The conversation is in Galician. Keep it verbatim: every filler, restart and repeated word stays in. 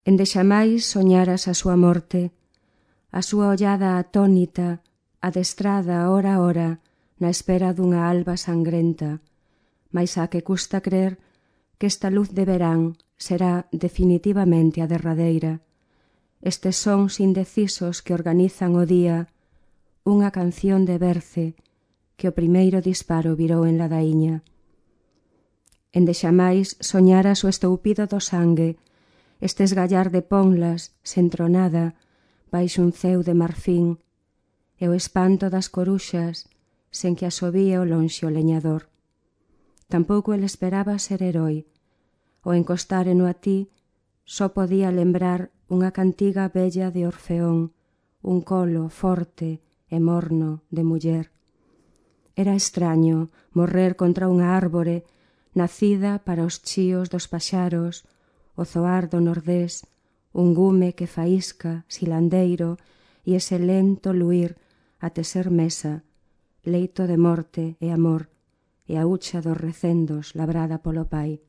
Ende xamais soñaras a súa morte, a súa ollada atónita, adestrada hora a hora na espera dunha alba sangrenta, mais a que custa crer que esta luz de verán será definitivamente a derradeira. Estes sons indecisos que organizan o día, unha canción de berce que o primeiro disparo virou en ladaíña. Ende xamais soñaras o estoupido do sangue, este esgallar de ponlas sen tronada baixo un ceo de marfín, e o espanto das coruxas sen que asovía o lonxe o leñador. Tampouco el esperaba ser heroi. O encostáreno a ti só podía lembrar unha cantiga bella de Orfeón, un colo forte e morno de muller. Era extraño morrer contra unha árbore nacida para os chíos dos paxaros, o zoar do nordés, un gume que faísca, silandeiro, e ese lento luir até ser mesa, leito de morte e amor, e a hucha dos recendos labrada polo pai.